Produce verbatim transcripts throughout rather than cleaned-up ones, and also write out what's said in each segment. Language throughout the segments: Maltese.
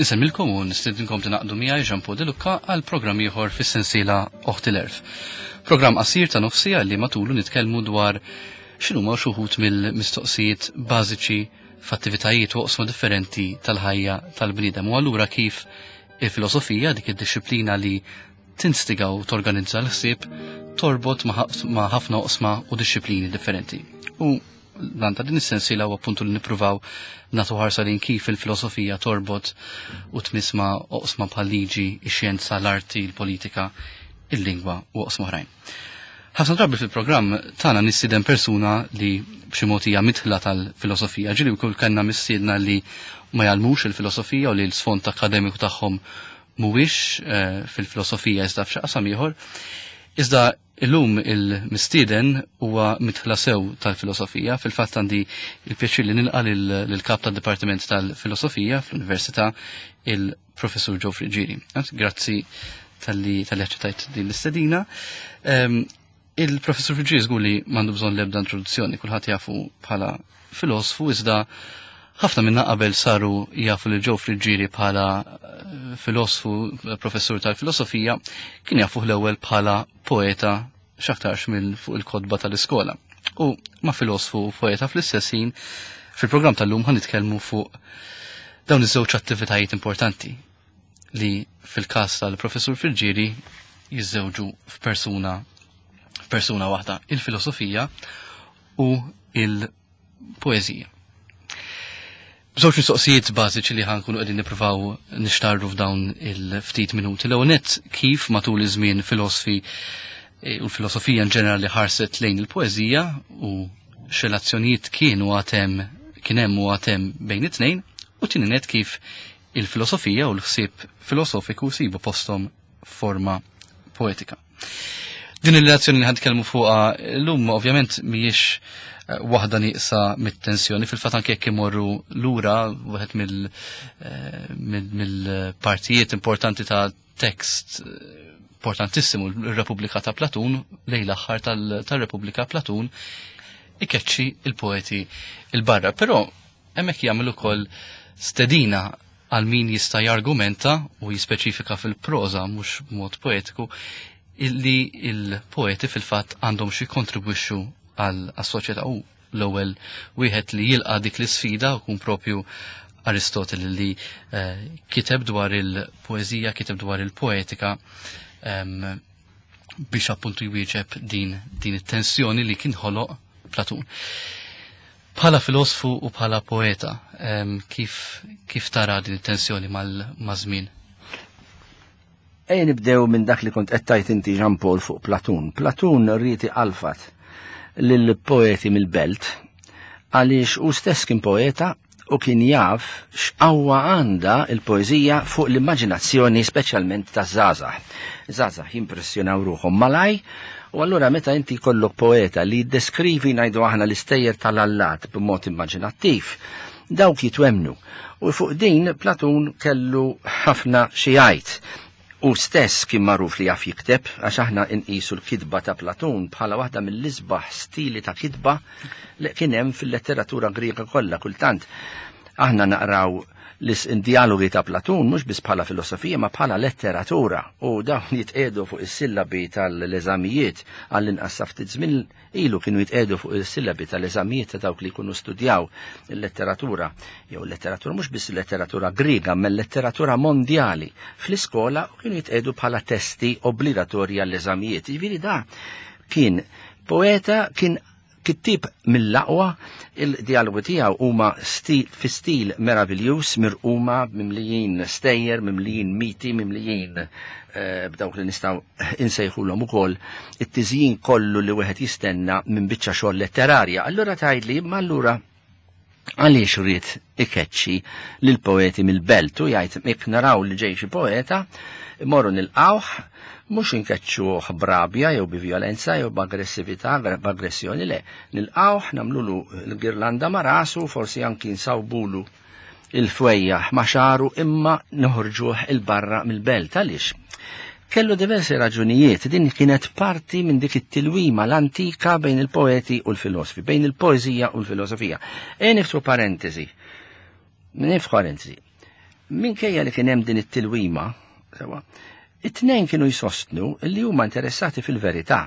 Insemmilkom u nistedinkom tingħaqdu miegħi Jean Paul De Lucca għal programm ieħor fis-sensiela Oħti l-Għerf. Programm qasir ta' nofs siegħa li matulu nitkellmu dwar x'inhuma xi wħud mill-mistoqsijiet bażiċi f'attivitajiet u oqsma differenti tal-ħajja tal-bniedem u allura kif il-filosofija, dik id-disciplina li tinstiga u torganizza l-ħsieb, torbot ma' ħafna oqsma u disciplini differenti. U dan ta' din is-sensiela huwa appuntu li nippruvaw nagħtu ħarsa lejn kif il-filosofija torbot u tmiss ma' oqsma bħal liġi, ix-xjenza, l-arti, il-politika, il-lingwa u oqsma oħrajn. Ħafna drabi fil-programm tagħna nistieden persuna li b'xi mod hija midħla tal-filosofija. Ġieli wkoll kellna mistiedna li ma jgħallmux il-filosofija u li l-sfond akademiku tagħhom mhuwiex eh, fil-filosofija iżda f'xi qasam ieħor. Iżda illum il-mistieden huwa midħla sew tal-filosofija. Fil-fatt għandi il-pjaċir li nilqa lill-kap tad-Dipartiment tal-Filosofija fl-Università, il-Professur Joe Friggieri. Grazzi talli talli aċċettajt din l-istedina. Ehm, Il-Professur Friggieri żgur li m'għandu bżonn l-ebda introduzzjoni, kulħadd jafu bħala filosfu, iżda ħafna minna qabel saru jafu lil Joe Friggieri bħala eh, filosfu, professur tal-filosofija, kien jafu l-ewwel bħala poeta x'aktarx minn fuq il-kotba tal-iskola. U ma' filosfu u poeta fl-istess ħin, fil-programm tal-lum ħa nitkellmu fuq dawn iż-żewġ attivitajiet importanti li fil-każ tal-Professur Friggieri jiżżewġu f'persuna f'persuna waħda, il-filosofija u il-poeżija. B'żewġ mistoqsijiet bażiċi li ħa nkunu qegħdin nippruvaw nixtarru f'dawn il-ftit minuti. L-ewwel nett, kif matul iż-żmien filosfi eh, u l-filosofija in ġenerali ħarset lejn il-poeżija u x'relazzjonijiet kienu għatem kien hemm u għatem bejn it-tnejn, u tieni nett, kif il-filosofija u l-ħsieb filosofiku sibu postom forma poetika. Din il-relazzjoni li ħa nitkellmu fuqha llum ovvjament mhijiex eh, waħda nieqsa mit-tensjoni. Fil-fatt, anke jekk imorru lura wieħed eh, mill-partijiet importanti ta' tekst eh, importantissimu, il-Repubblika ta' Platun, lejn l-aħħar tal-Repubblika Platun ikeċċi il-poeti 'il barra. Però hemmhekk jagħmel ukoll stedina għal min jista' jargumenta u jispeċifika fil-proża, mhux b'mod poetiku, illi il-poeti fil-fatt għandhom xi kontribwixxu għal soċjetà, u l-ewwel wieħed li jilqa' dik l-isfida kun propju Aristotele li eh, kiteb dwar il-poeżija, kiteb dwar il-poetika um, biex appuntu jwieġeb din din it-tensjoni li kien ħoloq Platun. Bħala filosfu u bħala poeta, um, kif, kif tara din it-tensjoni mal-żmien? Ejja nibdew minn dak li kont qed tgħid inti, Jean Paul, fuq Platun. Platun ried iqalfat lill-poeti mill-belt għaliex hu stess kien poeta u kien jaf x'qawwa għandha il-poeżija fuq l-immaġinazzjoni, speċjalment ta' żgħażagħ. Żgħażagħ jimpressjonaw ruħhom malaj, u allura meta inti jkollok poeta li jiddeskrivi, ngħidu aħna, l-istejjer tal-allat b'mod immaġinattiv, dawk jitwemnu. U fuq din Platun kellu ħafna xi jgħid. U stess kien magħruf li jaf jikteb, għax aħna inqisu l-kitba ta' Platun bħala waħda mill-isbaħ stili ta' kitba li kien hemm fil-letteratura Griega kollha. Kultant aħna naqraw l-dialogi ta' Platun mhux biss bħala filosofija ma bħala letteratura, u dawn jitqiedu fuq is-sillabi tal-eżamijiet. Għall-inqas ftit żmien ilu kienu jitqiedu fuq is-sillabi tal-eżamijiet ta' dawk li jkunu studjaw il-letteratura, jew letteratura, mhux biss letteratura Griega ma letteratura mondjali fl-iskola, u kienu jitqiedu bħala testi obbligatorji għall-eżamijiet. Jiġifieri da kien poeta, kien kittib mill-aqwa. Il-dialogu tiegħu huma stil, fi stil meraviljuż, mirquma, mimlijin stejjer, mimlijin miti, mimlijin eh, b'dawk li nistgħu insejħulhom ukoll it-tiżjin kollu li wieħed jistenna minn biċċa xogħol letterarja. Allura tgħidli, ma allura għaliex ried ikeċċi lil poeti mill-belt? U jgħid, jekk naraw li ġej xi poeta, morru nilqawh, mhux inkeċċuh b'rabja jew bi violenza jew b'aggressività, b'aggressjoni, le. Nilqawh, nagħmlulu l-girlanda ma' rasu, forsi anki nsawbulu il-fwejjaħ ma' xagħru, imma noħorġuh 'il barra mill-belt. Għaliex? Kellu diversi raġunijiet. Din kienet parti minn dik it-tilwima l-antika bejn il-poeti u l-filosofi, bejn il-poezija u l-filosofija. E niftħu parentesi. Niftħu parentesi. Minkejja li kien hemm din it-tilwima, sewa, it-tnejn kienu jsostnu li huma interessati fil-verità.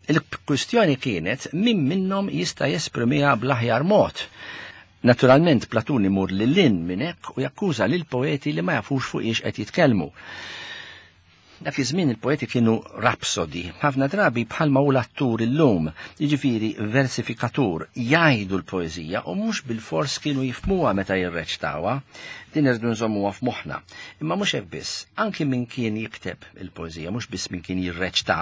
Il-kwistjoni kienet min minnhom jista' jesprimiha bl-aħjar mod. Naturalment Platun imur lil hinn minn hekk u jakkuża lil poeti li ma jafux fuq ix qed jitkellmu. Dak iż-żmien il-poeti kienu rapsodi, ħafna drabi bħalma hu l-attur illum, jiġifieri versifikatur, jgħidu l-poeżija u mhux bilfors kienu jifhmuha meta jirreċtawha, din irridu nżommuha f'moħħna. Imma mhux hekk biss, anki min kien jikteb il-poeżija, mhux biss min kien jirreċta,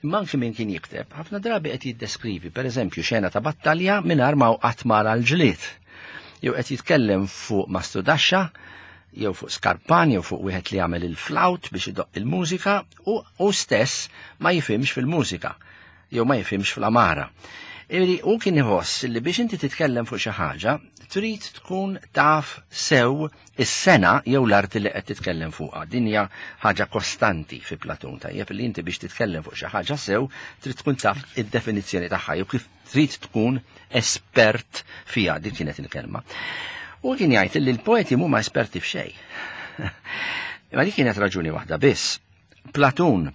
imma anki min kien jikteb, ħafna drabi qed jiddeskrivi, pereżempju, xena ta' battalja mingħajr ma qatt mara l-ġlied. Jew qed jitkellem fuq mastudaxxa, jew fuq skarpan, jew fuq wieħed li jagħmel il-flawt biex idoq il-mużika, u hu stess ma jifhimx fil-mużika, jew ma jifhimx fl-amara. Iri, u kien iħoss li biex inti titkellem fuq xi ħaġa, trid tkun taf sew is-sena jew l-arti li qed titkellem fuqha. Din hija ħaġa kostanti fi Platun, tajjeb li inti biex titkellem fuq xi ħaġa sew trid tkun taf id-definizzjoni tagħha jew kif trid tkun espert fiha, dik kienet il-kelma. U kien jgħid li l-poeti mhuma esperti f'xejn. Imma dik kienet raġuni waħda biss. Platun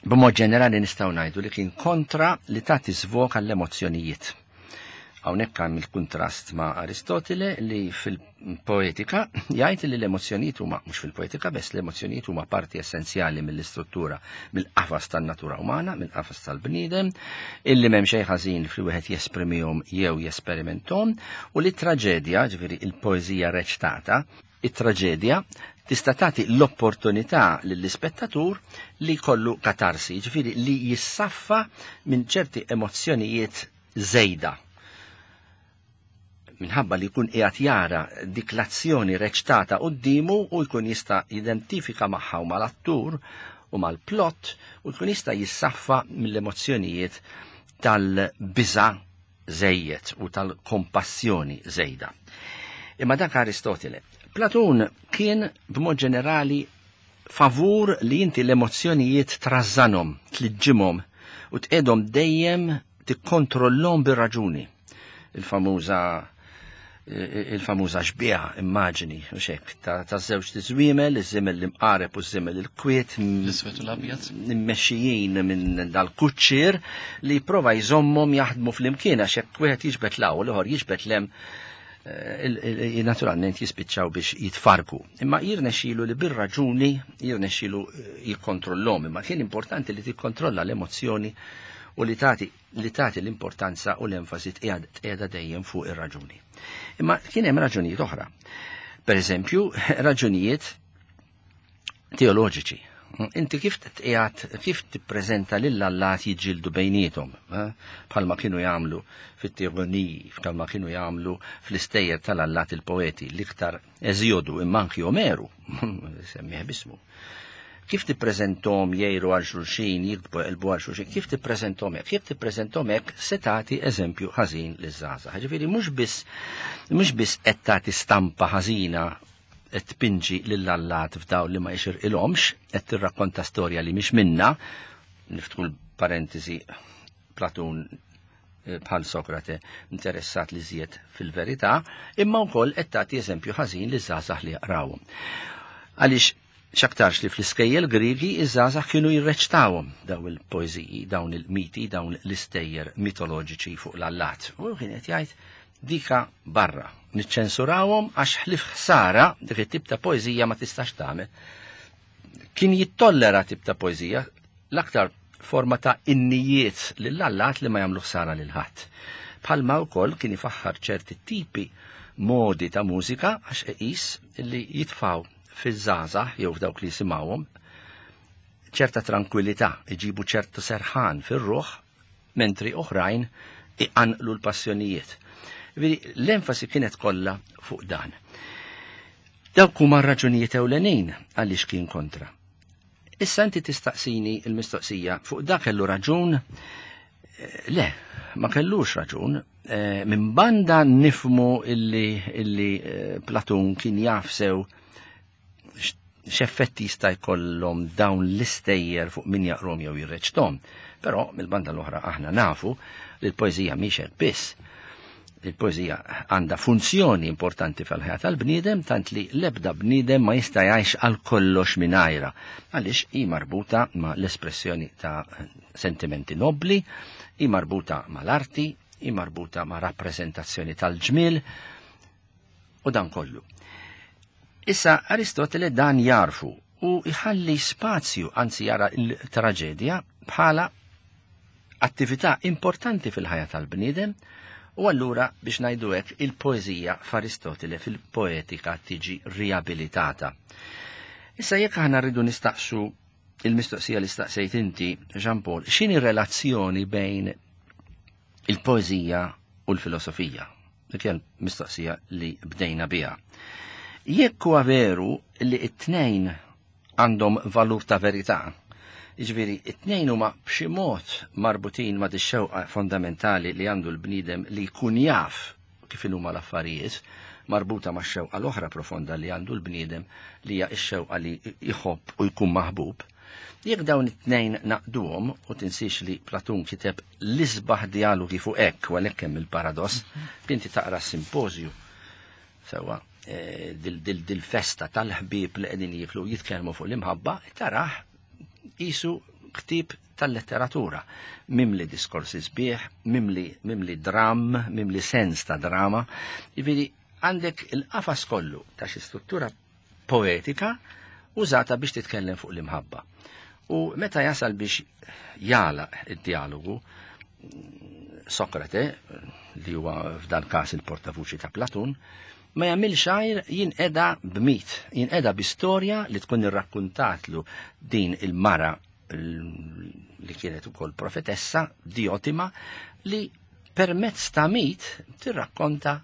b'mod ġenerali nistgħu ngħidu li kien kontra li tagħti żvog għall-emozzjonijiet. Hawnhekk hemm il-kuntrast ma' Aristotile li fil-poetika jgħid li l-emozzjonijiet huma mhux fil-poetika biss, l-emozzjonijiet huma parti essenzjali mill-istruttura, mill-qafas tan-natura umana, mill-qafas tal-bniedem, illi m'hemm xejn ħażin fli wieħed jesprimihom jew jesperimenthom, u li traġedja, ġifieri il-poeżija reċtata, it-traġedja tista' tagħti l-opportunità lill-ispettatur li jkollu katarsi, ġifieri li jissaffa minn ċerti emozzjonijiet żejda. Minħabba li jkun qiegħed jara dik l-azzjoni reċtata quddiemu u jkun jista' jidentifika magħha u mal-attur u mal-plot u jkun jista' jissaffa mill-emozzjonijiet tal-biża' żejjed u tal-kompassjoni żejda. Imma dak Aristotile. Platun kien b'mod ġenerali favur li inti l-emozzjonijiet trażżanhom, tliġġimhom u tqegħdhom dejjem tikkontrollhom bir-raġuni. Il-famuża il-famuża xbieha, immaġini, u xek, ta' żewġ tiżwiemel, iż-żiemel l-imqareb u ż-żiemel il-kwiet, l-iswed u l-abjad, immexxijin minn dal-kuċċier li prova jżommhom jaħdmu flimkien għax hekk wieħed jiġbed l-hawn u l-ieħor jiġbed lem, naturalment jispiċċaw biex jitfarku. Imma jirnexxilu li bir-raġuni jirnexxilu jikkontrollhom, imma kien importanti li tikkontrolla l-emozzjoni u li tagħti li tagħti l-importanza u l-enfasi tqiegħda dejjem fuq ir-raġuni. Imma kien hemm raġunijiet oħra. Per eżempju, raġunijiet teoloġiċi. Inti kif tqiegħed, kif tippreżenta lil allat jiġġieldu bejniethom, bħalma kienu jagħmlu fit-teogoniji, bħalma kienu jagħmlu fl-istejjer tal-allat il-poeti, l-iktar Eżjodu imma anki Omeru, semmih bismu. Kif tippreżentom jgħiru għal xulxin, jiktbu jqilbu għal xulxin, kif tippreżentom hekk, kif tippreżentom hekk se tagħti eżempju ħażin liż-żgħażagħ. Ġifieri mhux biss mhux biss qed tagħti stampa ħażina qed tpinġi lill-allat f'dawn li ma jixirqilhomx, qed tirrakkonta storja li mhix minna, niftħu l-parentesi Platun bħal Sokrate interessat li żjed fil-verità, imma wkoll qed tagħti eżempju ħażin liż-żgħażagħ li jaqrawhom. Għaliex x'aktarx li fl-iskejjel Griegi iż-żgħażagħ kienu jirreċtawhom dawn il-poeżiji, dawn il-miti, dawn l-istejjer mitoloġiċi fuq l-allat. U kien qed jgħid dika barra, niċċensurawhom għax ħlif ħsara dik it-tip ta' poeżija ma tistax tagħmel. Kien jittollera tip ta' poeżija l-aktar forma ta' innijiet lill-allat li ma jagħmlu ħsara lil ħadd. Bħalma wkoll kien ifaħħar ċerti tipi modi ta' mużika għax iqis li jitfaw fiż-żgħażagħ jew f'dawk li jisimgħuhom ċerta tranquillità, iġibu ċertu serħan fir-ruħ, mentri oħrajn iqanqlu l-passjonijiet. L-enfasi kienet kollha fuq dan. Dawk huma r-raġunijiet ewlenin għaliex kien kontra. Issa inti tistaqsini l-mistoqsija fuq dak kellu raġun? Le, ma kellux raġun. Minn banda nifmu illi, illi Platun kien jaf sew x'effetti jista' jkollhom dawn l-istejjer fuq min jaqrom jew jirreċtom. Però mill-banda l-oħra aħna nafu li l-poeżija mhix hekk biss. Il-poeżija għandha funzjoni importanti fil-ħajja tal-bniedem, tant li l-ebda bniedem ma jista' jgħix għal kollox mingħajra, għaliex hi marbuta ma' l-espressjoni ta' sentimenti nobbli, hi marbuta mal-arti, hi marbuta ma' rappreżentazzjoni tal-ġmiel u dan kollu. Issa Aristotele dan jarfu u jħalli spazju, anzi jara l-traġedja bħala attività importanti fil-ħajja tal-bniedem. U allura biex ngħidu hekk il-poeżija f'Aristotele fil-poetika tiġi riabilitata. Issa jekk aħna rridu nistaqsu il-mistoqsija li staqsejt inti, Jean Paul, x'inhi relazzjoni bejn il-poeżija u l-filosofija? Dik hija mistoqsija li bdejna biha. Jekk huwa veru li t-tnejn għandhom valur ta' verità, jiġifieri it-tnejn huma b'xi mod marbutin ma' dix-xewqa fondamentali li għandu l-bniedem li jkun jaf kif huma l-affarijiet, marbuta ma' xewqa l-oħra profonda li għandu l-bniedem li hija x-xewqa li jħobb u jkun maħbub. Jekk dawn it-tnejn naqduhom, u tinsiex li Platun kiteb l-isbaħ dialogi fuq hekk, u għalhekk hemm il-paradoss, inti taqra s-simpożju sewwa dil-festa tal-ħbieb li qegħdin jieklu jitkellmu fuq l-imħabba, taraħ isu ktib tal-letteratura, mimli diskorsi sbieħ, mimli, mimli dram, mimli sens ta' drama. Jiġifieri għandek il-qafas kollu ta' xi struttura poetika użata biex titkellem fuq l-imħabba. U meta jasal biex jagħlaq id-dialogu, Sokrate, li huwa f'dan każ il-portavuċi ta' Platun, ma jagħmilx xajr jinqeda b'mit, jinqeda bi storja li tkun irrakkuntatlu din il-mara li kienet ukoll profetessa, Diotima, li permezz ta' mit tirrakkonta,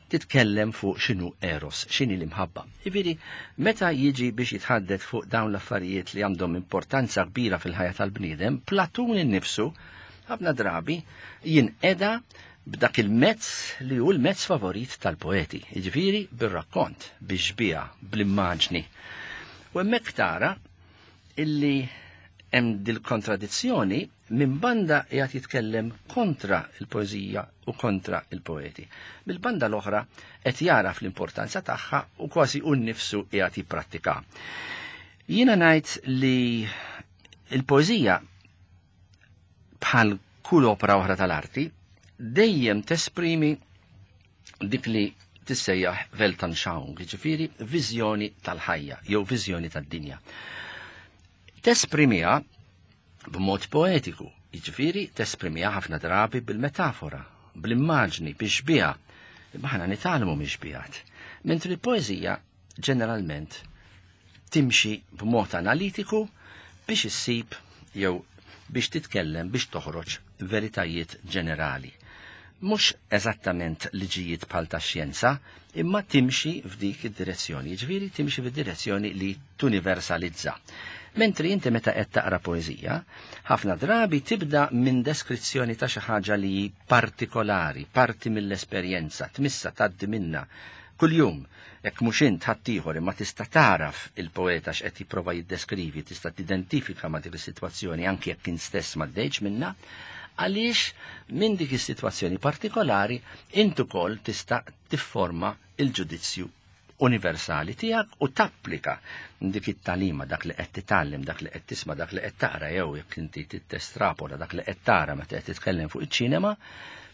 titkellem fuq x'inhu eros, x'inhi l-imħabba. Jiġifieri, meta jiġi biex jitħaddet fuq dawn l-affarijiet li għandhom importanza kbira fil-ħajja tal-bniedem, Platun innifsu ħafna drabi jinqeda b'dak il-mezz li hu l-mezz favorit tal-poeti, jiġifieri bir-rakkont, bix-xbieha, bl-immaġni. U hemmhekk tara illi hemm dil-kontradizzjoni minn banda qiegħed jitkellem kontra il-poeżija u kontra il-poeti. Mill-banda l-oħra qed jaraf l-importanza tagħha u kważi hu nnifsu qiegħed jipprattika. Jiena ngħid li l-poeżija bħal kull opra oħra tal-arti dejjem tesprimi dik li tissejjaħ Weltanschauung, jiġifieri viżjoni tal-ħajja jew viżjoni tad-dinja. Tesprimiha b'mod poetiku, jiġifieri tesprimiha ħafna drabi bil-metafora, bl-immaġni, bix-xbieha. Imma aħna nitgħallmu mix-xbiehat. Mentri l-poeżija ġeneralment timxi b'mod analitiku biex issib jew biex titkellem biex toħroġ veritajiet ġenerali. Mhux eżattament liġijiet bħal tax-xjenza, imma timxi f'dik id-direzzjoni, jiġifieri timxi fid-direzzjoni li tuniversalizza. Mentri inti meta qed taqra poeżija, ħafna drabi tibda minn deskrizzjoni ta' xi ħaġa li hi partikolari, parti mill-esperjenza, tmissa tgħaddi minna kuljum. Jekk mhux int ħaddieħor imma tista' taraf il-poeta x'qed jipprova jiddeskrivi, tista' tidentifika ma' dik is-sitwazzjoni anke jekk int stess m'għaddejtx minnha, għaliex minn dik is-sitwazzjoni partikolari int ukoll tista' tifforma il-ġudizzju universali tiegħek u tapplika dik it-talima, dak li qed titgħallem, dak li qed tisma', dak li qed taqra, jew jekk inti tittestrapola dak li qed tara meta qed titkellem fuq iċ-ċinema,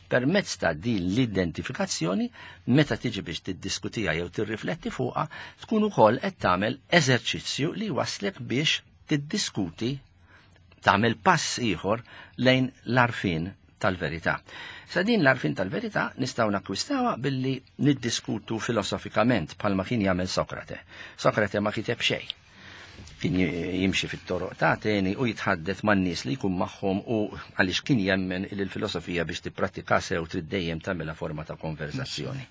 permezz ta' din l-identifikazzjoni meta tiġi biex tiddiskutiha jew tirrifletti fuqha, tkun ukoll qed tagħmel eżerċizzju li waslek biex tiddiskuti, tagħmel pass ieħor lejn l-arfin tal-verità. Sa din l-arfin tal-verità nistgħu nakkwistawha billi niddiskutu filosofikament bħalma kien jagħmel Sokrate. Sokrate ma kiteb xejn. Kien jimxi fit-toroq ta' Ateni u jitħaddet man-nies li jkun magħhom, u għaliex kien jemmen li l-filosofija biex tipprattika sew trid dejjem tagħmilha forma ta' konversazzjoni.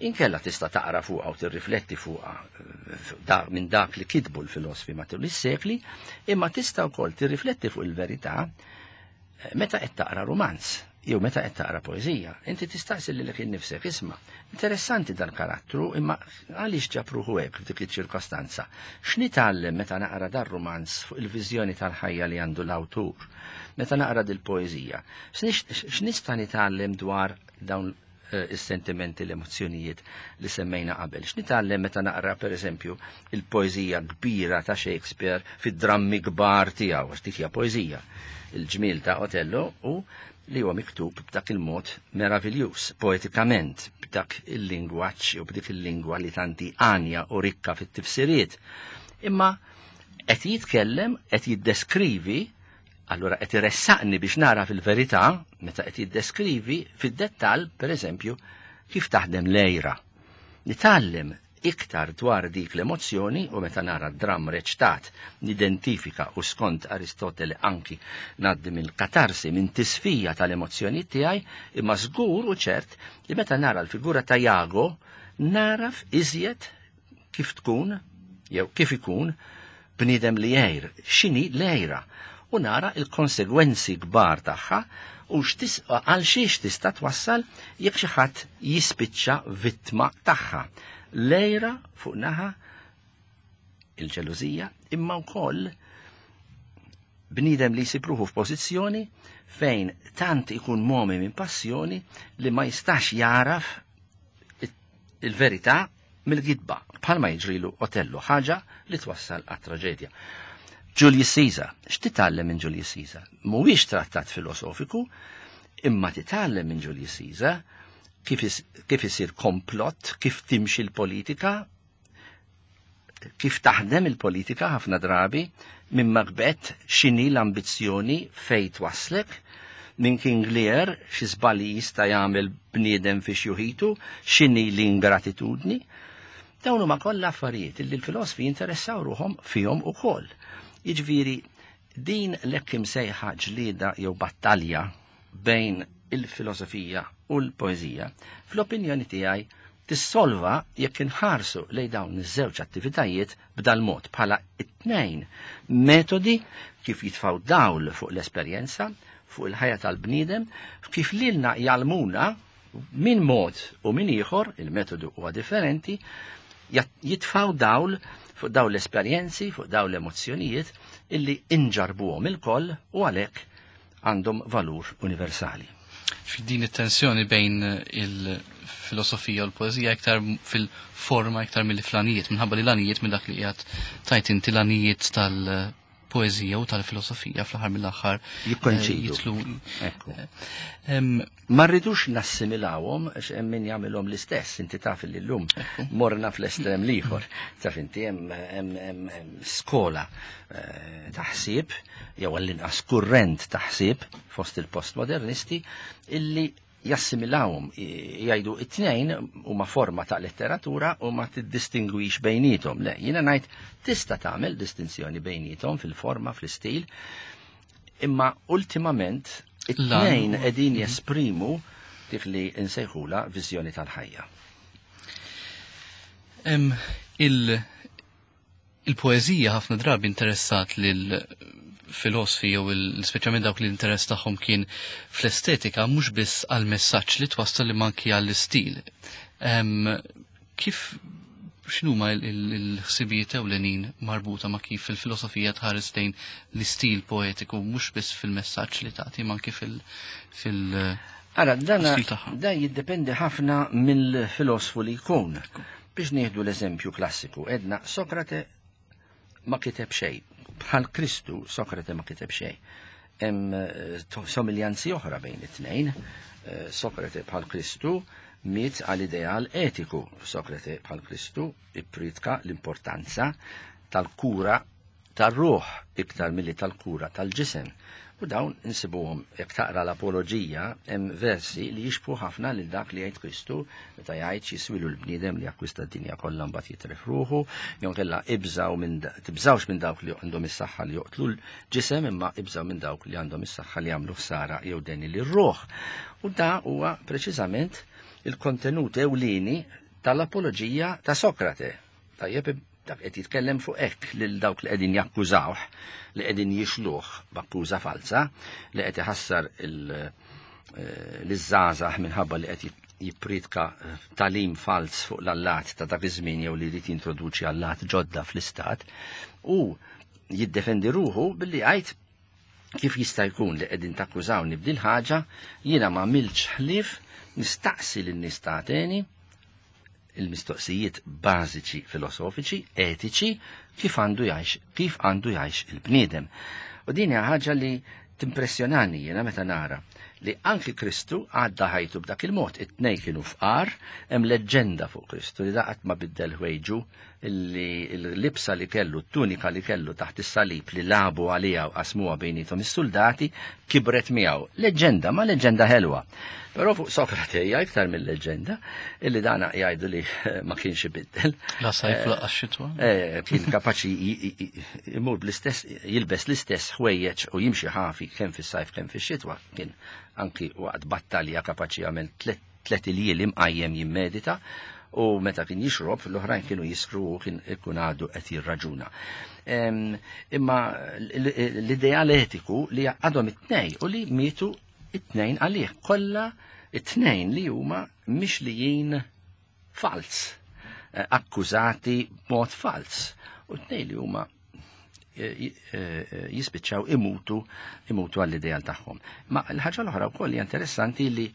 Inkella tista' taqra fuqha u tirrifletti fuqha minn dak li kitbu l-filosofi matul is-sekli, imma tista' wkoll tirrifletti fuq il-verità meta qed taqra rumanz Jew meta qed taqra poeżija, inti tistaqsi lilek innifsek, isma', interessanti dal-karattru, imma għaliex ġab ruħu hekk f'dik iċ-ċirkostanza? X'nitgħallem meta naqra dar-rumanz fuq il-viżjoni tal-ħajja li għandu l-awtur? Meta naqra dil-poeżija, x'nista' nitgħallem dwar dawn is-sentimenti, l-emozzjonijiet li semmejna qabel? X'nitgħallem meta naqra pereżempju il-poeżija kbira ta' Shakespeare fid-drammi kbar tiegħu, għax dik hija poeżija, il-ġmiel ta' Otello, u li huwa miktub b'dak il-mod meraviljuż, poetikament, b'dak il-lingwaġġ u b'dik il-lingwa li tanti għanja u rikka fit-tifsiriet. Imma qed jitkellem, qed jiddeskrivi, allura qed iressaqni biex nara fil-verità, meta qed jiddeskrivi fid-dettall, pereżempju, kif taħdem l-ejra. Nitgħallem iktar dwar dik l-emozzjoni, u meta nara d-dram reċtat nidentifika u skont Aristotele anki ngħaddi minn katarsi, minn tisfija tal-emozzjoni tiegħi, imma żgur u ċert li meta nara l-figura ta' Jago naraf iżjed kif tkun jew kif ikun bniedem li jgħir, x'inhi l-għejra, u nara il-konsegwenzi kbar tagħha u għal xiex tista' twassal jekk xi ħadd jispiċċa vittma tagħha. L-għejra fuq naħa, il-ġelużija, imma wkoll bniedem li jsib ruħu f'pożizzjoni fejn tant ikun momi minn passjoni li ma jistax jaraf il-verità mill-gidba, bħalma jiġrilu Otello, ħaġa li twassal għat-traġedja. Julius Caesar, x'titgħallem minn Julius Caesar? Mhuwiex trattat filosofiku, imma titgħallem minn Julius Caesar kif, is, kif isir komplott, kif timxi l-politika, kif taħdem il-politika ħafna drabi, minn Macbeth x'inhi l-ambizzjoni fejn twaslek, minn King Lear xi żbalji jista' jagħmel bniedem fi xjuħitu, x'inhi l-ingratitudni. Dawn huma kollha affarijiet li l-filosofi jinteressaw ruħhom fihom ukoll. Jiġifieri din l-hekk imsejħa ġlieda jew battalja bejn il-filosofija u l-poeżija, fl-opinjoni tiegħi tissolva jekk inħarsu lejn dawn iż-żewġ attivitajiet b'dal-mod bħala it-tnejn metodi kif jitfgħu dawl fuq l-esperjenza, fuq il-ħajja tal-bniedem, kif lilna jgħallmuna minn mod u minn ieħor, il-metodu huwa differenti, jitfgħu dawl fuq dawn l-esperjenzi, fuq dawn l-emozzjonijiet illi inġarbuhom ilkoll u għalhekk għandhom valur universali. F'din it-tensjoni bejn il-filosofija u l-poeżija iktar fil-forma iktar mill-flanijiet, minħabba li l-għanijiet minn dak li qiegħed tajt inti l-għanijiet tal-poeżija u tal-filosofija fl-aħħar mill-aħħar jikkoinċidu. Jitlu. Ekku. Ma rridux nassimilawhom għax hemm min jagħmilhom l-istess, inti taf li llum morna fl-estrem l-ieħor. Taf inti hemm skola taħsib jew għall-inqas kurrent taħsib fost il-postmodernisti illi jassimilawhom, jgħidu it-tnejn huma forma ta' letteratura u ma tiddistingwix bejnietom. Le, jiena ngħid tista' tagħmel distinzjoni bejnietom fil-forma, fl-istil, imma ultimament it-tnejn qegħdin jesprimu dik li nsejħula viżjoni tal-ħajja. Il-poeżija ħafna drabi interessat lil filosofi jew speċjalment dawk li l-interess tagħhom kien fl-estetika, mhux biss għall-messaġġ li twassal imma anki għall-istil. Kif x'inhuma l-ħsibijiet ewlenin marbuta ma' kif il-filosofija tħares lejn l-istil poetiku mhux biss fil-messaġġ li tagħti imma anki fil- fil- Ara, dan stil tagħha? Dan jiddependi ħafna mill-filosofu li jkun. Biex nieħdu l-eżempju klassiku, edna Sokrate ma kiteb xejn. Bħal Kristu, Sokrate ma kiteb xejn. Hemm somiljanzi oħra bejn it-tnejn. Sokrate bħal Kristu miet għal ideal etiku. Sokrate bħal Kristu ippritka l-importanza tal-kura tar-ruħ iktar milli tal-kura tal-ġisem. U dawn insibuhom, jekk taqra l-Apoloġija, hemm versi li jixbhu ħafna lil dak li jgħid Kristu meta jgħid x'jiswilu l-bniedem li jakkwista d-dinja kollha mbagħad jitref ruħu, jew kellha ibżgħu minn tibżgħux minn dawk li għandhom is-saħħa li joqtlu l-ġisem, imma ibżgħu minn dawk li għandhom is-saħħa li jagħmlu ħsara jew deni lir-ruħ. U da huwa preċiżament il-kontenut ewlieni tal-Apoloġija ta' Sokrate. Tajjeb, dak qed jitkellem fuq hekk lil dawk li qegħdin jakkużawh, li qegħdin jixluh b'akkuża falsa, li qed iħassar liż-żgħażagħ minħabba li qed jippritka talim fals fuq l-allat ta' dak iż-żmien jew li jrid jintroduċi allat ġodda fl-istat, u jiddefendi ruħu billi jgħid kif jista' jkun li qegħdin takkużawni b'dil ħaġa, jiena ma għamiltx ħlief nistaqsi lin-nies ta' Ateni il-mistoqsijiet bażiċi filosofiċi, etiċi, kif għandu jgħix, kif għandu jgħix il-bniedem. U din hija ħaġa li timpressjonani jiena meta nara li anki Kristu għadda ħajtu b'dak il-mod. It-tnejn kienu fqar, hemm leġġenda fuq Kristu li daqat ma biddel ħwejġu, li l-libsa li kellu, t-tunika li kellu taħt is-salib li labu għaliha u qasmuha bejnietom is-soldati, kibret miegħu. Leġġenda, ma leġġenda ħelwa. Però fuq Sokrate hija iktar mill-leġġenda illi dana jgħidu li ma kienx ibiddel. La sajf lanqas xitwa. Eh, kien kapaċi imur bl-istess, jilbes l-istess ħwejjeġ u jimxi ħafi kemm fis-sajf kemm fix-xitwa. Kien anki waqt battalja kapaċi jagħmel tliet iljiel imqajjem jimmedita, u meta kien jixrob l-oħrajn kienu jiskru u kien ikun għadu qed jirraġuna. Imma l-ideal etiku li għadhom it-tnejn u li mietu it-tnejn għalih, kollha it-tnejn li huma mixlijin fals, akkużati b'mod fals, u t-tnejn li huma jispiċċaw imutu imutu għall-ideal tagħhom. Ma l-ħaġa l-oħra wkoll hija interessanti li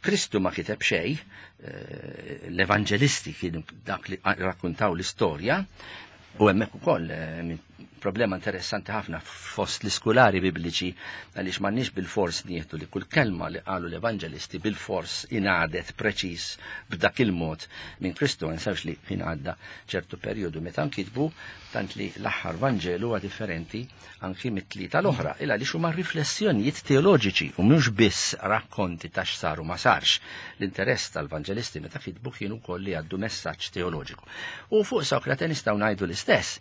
Kristu ma kiteb xejn, l-evanġelisti kienu dak li rakkuntaw l-istorja, u hemmhekk ukoll problema interessanti ħafna fost l-iskulari bibliċi, għaliex m'għandniex bil-fors nieħdu li kull kelma li qalu l-evanġelisti bil-fors ingħadet preċiż b'dak il-mod minn Kristu. Ma nsewx li kien għadda ċertu perjodu meta nkitbu, tant li l-aħħar Vanġelu huwa differenti anki mit-tlieta l-oħra, illa għaliex huma riflessjonijiet teoloġiċi u mhux biss rakkonti ta' x'sar u ma sarx. L-interess tal-Vanġelisti meta kitbu kienu wkoll li għaddu messaġġ teoloġiku. U fuq Sokrate nistgħu ngħidu l-istess.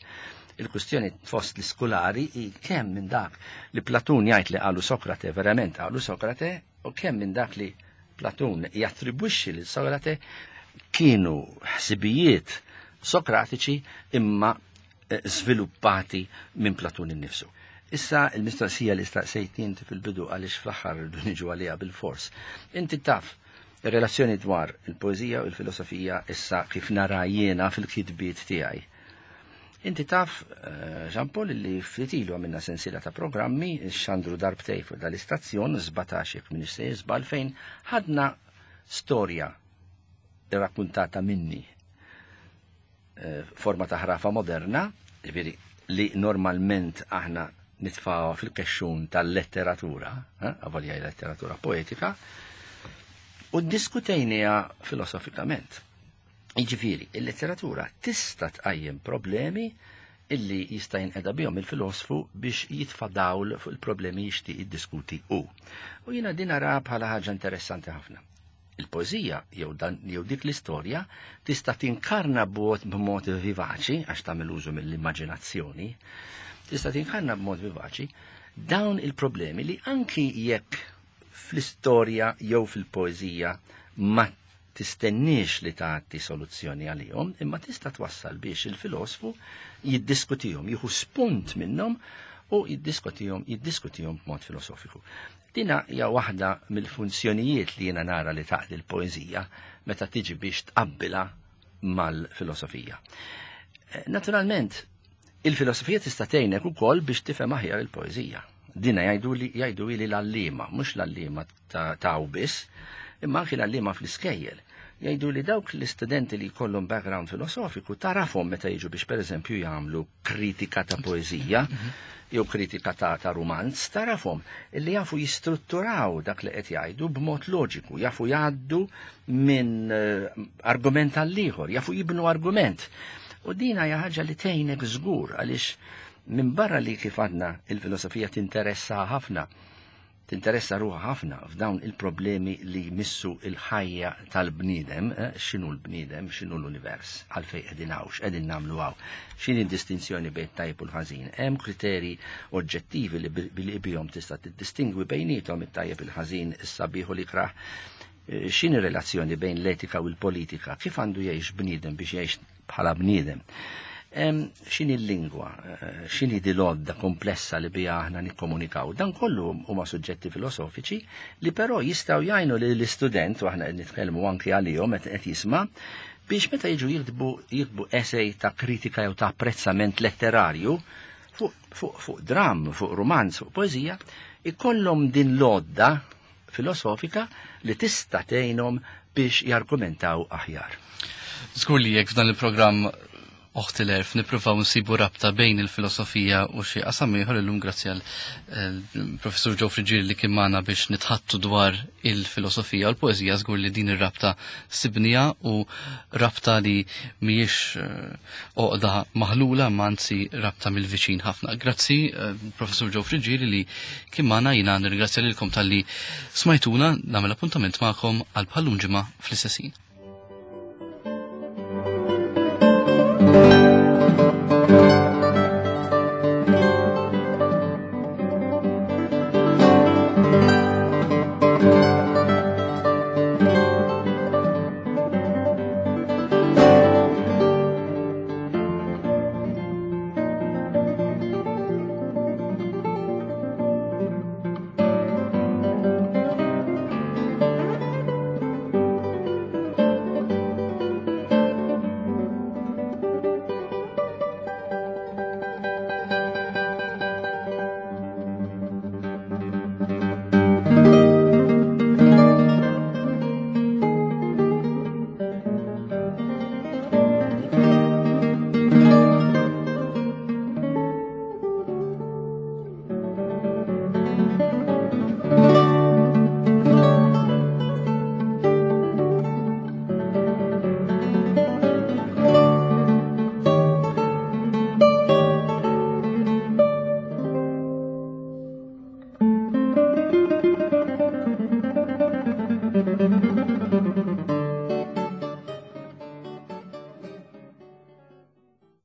Il-kustjoni fost l-iskulari hi kemm minn dak li Platun jgħid li qalu Sokrate verament qalu Sokrate, u kemm minn dak li Platun jattribwixxi lil Sokrate kienu ħsibijiet sokratiċi imma żviluppati minn Platun innifsu. Issa il-mistoqsija li staqsejt inti fil-bidu, għaliex fl-aħħar rridu niġu għaliha bil-fors. Inti taf ir-relazzjoni dwar il-poeżija u l-filosofija issa kif nara jiena fil-kitbiet tiegħi. Inti taf, Jean Paul, li ftit ilu għamilna sensiela ta' programmi xandru darbtej fuq dal-istazzjon, sbatax jekk m'iniex se jiżbal, fejn ħadna storja rrakkuntata minni forma ta' ħrafa moderna, ġifieri li normalment aħna nitfgħuha fil-kexxun tal-letteratura, avolja letteratura poetika, u ddiskutejniha filosofikament. Jiġifieri, il-letteratura tista' tqajjem problemi illi jista' jinqeda bihom il-filosfu biex jitfa' dawl fuq il-problemi jixtieq jiddiskuti hu. U jiena din nara bħala ħaġa interessanti ħafna. Il-poeżija jew dan jew dik l-istorja tista' tinkarna b'mod vivaċi, għax tagħmel użu mill-immaġinazzjoni, tista' tinkarna b'mod vivaċi dawn il-problemi li anki jekk fl-istorja jew fil-poeżija ma tistenniex li tagħti soluzzjoni għalihom, imma tista' twassal biex il-filosfu jiddiskutihom, jieħu spunt minnhom u jiddiskutihom, jiddiskutihom b'mod filosofiku. Dina hija waħda mill-funzjonijiet li jiena nara li taqdi l-poeżija meta tiġi biex tqabbilha mal-filosofija. Naturalment, il-filosofija tista' tgħinek ukoll biex tifhem aħjar il-poeżija. Dina jgħidu li jgħidu li l-għalliema, mhux l-għalliema ta' biss, imma anki l-għalliema fl-iskejjel. Jgħidu li dawk l-istudenti li jkollhom background filosofiku tarafhom meta jiġu biex pereżempju jagħmlu kritika ta' poeżija jew kritika ta' ta' rumanz, tarafhom illi jafu jistrutturaw dak li qed jgħidu b'mod loġiku, jafu jgħaddu minn argument għal ieħor, jafu jibnu argument. U dina hija ħaġa li tgħinek żgur, għaliex minn barra li kif għadna il-filosofija tinteressa ħafna, tinteressa ruħha ħafna f'dawn il-problemi li jmissu il-ħajja tal-bniedem, x'inhu l-bniedem, x'inhu l-univers, għalfejn qegħdin hawn, x'qegħdin nagħmlu hawn, x'inhi d-distinzjoni bejn tajjeb u l-ħażin. Hemm kriteri oġġettivi li billi bihom tista' tiddistingwi bejniethom it-tajjeb, il-ħażin, is-sabiħ u l-ikrah. X'inhi relazzjoni bejn l-etika u l-politika, kif għandu jgħix bniedem biex jgħix bħala bniedem. X'inhi l-lingwa, eh, x'inhi di l-għodda komplessa li biha aħna nikkomunikaw. Dan kollu huma suġġetti filosofiċi li però jistgħu jgħinu li l-istudent, u aħna qed nitkellmu anki għalihom qed jisma', biex meta jiġu jiktbu jiktbu essay ta' kritika jew ta' apprezzament letterarju fuq fuq fuq dram, fuq romanz, fuq poeżija, ikollhom din l-għodda filosofika li tista' tgħinhom biex jargumentaw aħjar. Żgur li jekk f'dan il-programm Oħt l-Għerf nippruvaw nsibu rabta bejn il-filosofija u xi qasam ieħor, illum grazzi għal eh, professur Joe Friggieri li kien magħna biex nitħattu dwar il-filosofija u l-poeżija, żgur li din ir-rabta sibnija u rabta li mhijiex eh, għoqda maħlula, ma anzi rabta mill-viċin ħafna. Grazzi eh, professur Joe Friggieri li kien magħna. Jiena nirringrazzja lilkom talli smajtuna, nagħmel appuntament magħkom għal bħallum ġimgħa fl-istess ħin.